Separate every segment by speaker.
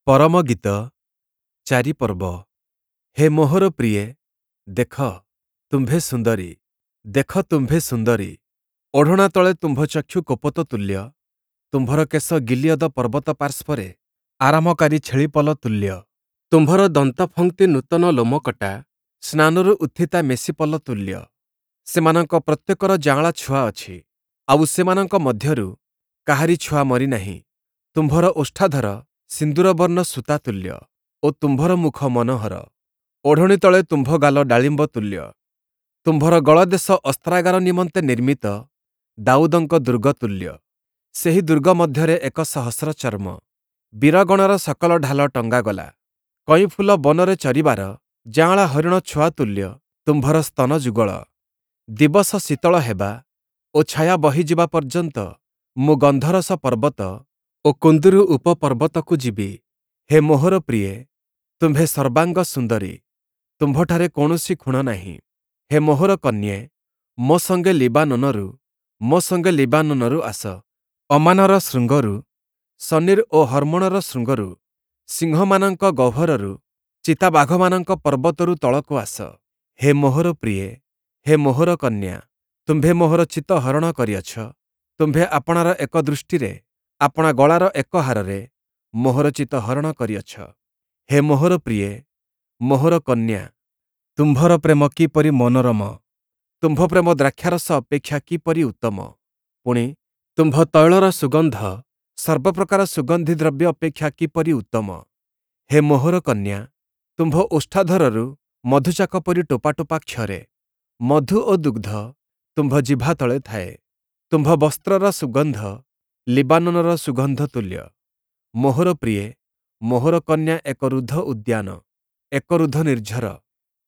Speaker 1: ପରମଗୀତ 4 ପର୍ବ। ହେ ମୋହର ପ୍ରିୟେ, ଦେଖ, ତୁମ୍ଭେ ସୁନ୍ଦରୀ, ଦେଖ ତୁମ୍ଭେ ସୁନ୍ଦରୀ। ଓଢ଼ଣା ତଳେ ତୁମ୍ଭ ଚକ୍ଷୁ କପୋତ ତୁଲ୍ୟ, ତୁମ୍ଭର କେଶ ଗିଲିୟଦ ପର୍ବତ ପାର୍ଶ୍ୱରେ ଆରାମକାରୀ ଛେଳିପଲ ତୁଲ୍ୟ। ତୁମ୍ଭର ଦନ୍ତଫକ୍ତି ନୂତନ ଲୋମକଟା ସ୍ନାନରୁ ଉତ୍ଥିତା ମେଷିପଲ ତୁଲ୍ୟ। ସେମାନଙ୍କ ପ୍ରତ୍ୟେକର ଯାଆଁଳା ଛୁଆ ଅଛି, ଆଉ ସେମାନଙ୍କ ମଧ୍ୟରୁ କାହାରି ଛୁଆ ମରିନାହିଁ। ତୁମ୍ଭର ଓଷ୍ଠାଧର ସିନ୍ଦୂରବର୍ଣ୍ଣ ସୂତା ତୁଲ୍ୟ ଓ ତୁମ୍ଭର ମୁଖ ମନୋହର। ଓଢ଼ଣୀ ତଳେ ତୁମ୍ଭ ଗାଲ ଡାଳିମ୍ବ ତୁଲ୍ୟ। ତୁମ୍ଭର ଗଳଦେଶ ଅସ୍ତ୍ରାଗାର ନିମନ୍ତେ ନିର୍ମିତ ଦାଉଦଙ୍କ ଦୁର୍ଗ ତୁଲ୍ୟ। ସେହି ଦୁର୍ଗ ମଧ୍ୟରେ ଏକ ସହସ୍ର ଚର୍ମ, ବୀରଗଣର ସକଳ ଢାଲ ଟଙ୍ଗାଗଲା। କଇଁଫୁଲ ବନରେ ଚରିବାର ଯାଆଁଳା ହରିଣ ଛୁଆ ତୁଲ୍ୟ ତୁମ୍ଭର ସ୍ତନ ଯୁଗଳ। ଦିବସ ଶୀତଳ ହେବା ଓ ଛାୟା ବହିଯିବା ପର୍ଯ୍ୟନ୍ତ ମୁଁ ଗନ୍ଧରସ ପର୍ବତ ଓ କୁନ୍ଦୁରୁ ଉପପର୍ବତକୁ ଯିବି। ହେ ମୋହର ପ୍ରିୟେ, ତୁମ୍ଭେ ସର୍ବାଙ୍ଗ ସୁନ୍ଦରୀ, ତୁମ୍ଭଠାରେ କୌଣସି ଖୁଣ ନାହିଁ। ହେ ମୋହର କନ୍ୟେ, ମୋ ସଙ୍ଗେ ଲିବାନୋନରୁ, ମୋ ସଙ୍ଗେ ଲିବାନୋନରୁ ଆସ। ଅମାନର ଶୃଙ୍ଗରୁ, ସନୀର୍ ଓ ହର୍ମୋଣର ଶୃଙ୍ଗରୁ, ସିଂହମାନଙ୍କ ଗହ୍ୱରରୁ, ଚିତାବାଘମାନଙ୍କ ପର୍ବତରୁ ତଳକୁ ଆସ। ହେ ମୋହର ପ୍ରିୟେ, ହେ ମୋହର କନ୍ୟା, ତୁମ୍ଭେ ମୋହର ଚିତ୍ତ ହରଣ କରିଅଛ। ତୁମ୍ଭେ ଆପଣାର ଏକ ଦୃଷ୍ଟିରେ, ଆପଣା ଗଳାର ଏକ ହାରରେ ମୋହର ଚିତ୍ତ ହରଣ କରିଅଛ। ହେ ମୋହର ପ୍ରିୟେ, ମୋହର କନ୍ୟା, ତୁମ୍ଭର ପ୍ରେମ କିପରି ମନୋରମ! ତୁମ୍ଭ ପ୍ରେମ ଦ୍ରାକ୍ଷାରସ ଅପେକ୍ଷା କିପରି ଉତ୍ତମ! ପୁଣି ତୁମ୍ଭ ତୈଳର ସୁଗନ୍ଧ ସର୍ବପ୍ରକାର ସୁଗନ୍ଧି ଦ୍ରବ୍ୟ ଅପେକ୍ଷା କିପରି ଉତ୍ତମ! ହେ ମୋହର କନ୍ୟା, ତୁମ୍ଭ ଓଷ୍ଠାଧରରୁ ମଧୁଚାକ ପରି ଟୋପା ଟୋପା କ୍ଷରେ। ମଧୁ ଓ ଦୁଗ୍ଧ ତୁମ୍ଭ ଜିଭା ତଳେ ଥାଏ। ତୁମ୍ଭ ବସ୍ତ୍ରର ସୁଗନ୍ଧ ଲିବାନୋନର ସୁଗନ୍ଧ ତୁଲ୍ୟ। ମୋହର ପ୍ରିୟେ, ମୋହର କନ୍ୟା ଏକ ରୁଦ୍ଧ ଉଦ୍ୟାନ, ଏକ ରୁଦ୍ଧ ନିର୍ଝର,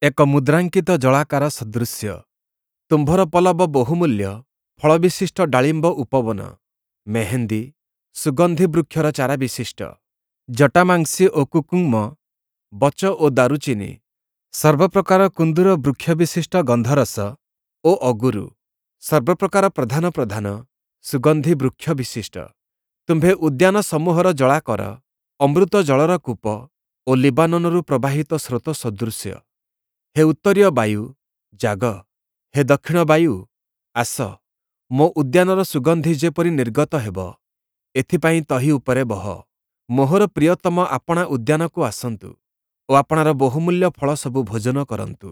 Speaker 1: ଏକ ମୁଦ୍ରାଙ୍କିତ ଜଳାକାର ସଦୃଶ୍ୟ। ତୁମ୍ଭର ପଲ୍ଲବ ବହୁମୂଲ୍ୟ ଫଳବିଶିଷ୍ଟ ଡାଳିମ୍ବ ଉପବନ, ମେହେନ୍ଦୀ, ସୁଗନ୍ଧି ବୃକ୍ଷର ଚାରା ବିଶିଷ୍ଟ, ଜଟାମାଂସୀ ଓ କୁକୁମ୍ମ, ବଚ ଓ ଦାରୁଚିନି, ସର୍ବପ୍ରକାର କୁନ୍ଦୁର ବୃକ୍ଷବିଶିଷ୍ଟ ଗନ୍ଧରସ ଓ ଅଗୁରୁ, ସର୍ବପ୍ରକାର ପ୍ରଧାନ ପ୍ରଧାନ ସୁଗନ୍ଧି ବୃକ୍ଷ ବିଶିଷ୍ଟ। ତୁମ୍ଭେ ଉଦ୍ୟାନ ସମୂହର ଜଳାକର, ଅମୃତ ଜଳର କୂପ ଓ ଲିବାନୋନରୁ ପ୍ରବାହିତ ସ୍ରୋତ ସଦୃଶ୍ୟ। ହେ ଉତ୍ତରୀୟ ବାୟୁ, ଜାଗ, ହେ ଦକ୍ଷିଣ ବାୟୁ, ଆସ, ମୋ ଉଦ୍ୟାନର ସୁଗନ୍ଧି ଯେପରି ନିର୍ଗତ ହେବ, ଏଥିପାଇଁ ତହିଁ ଉପରେ ବହ। ମୋହର ପ୍ରିୟତମ ଆପଣା ଉଦ୍ୟାନକୁ ଆସନ୍ତୁ ଓ ଆପଣାର ବହୁମୂଲ୍ୟ ଫଳ ସବୁ ଭୋଜନ କରନ୍ତୁ।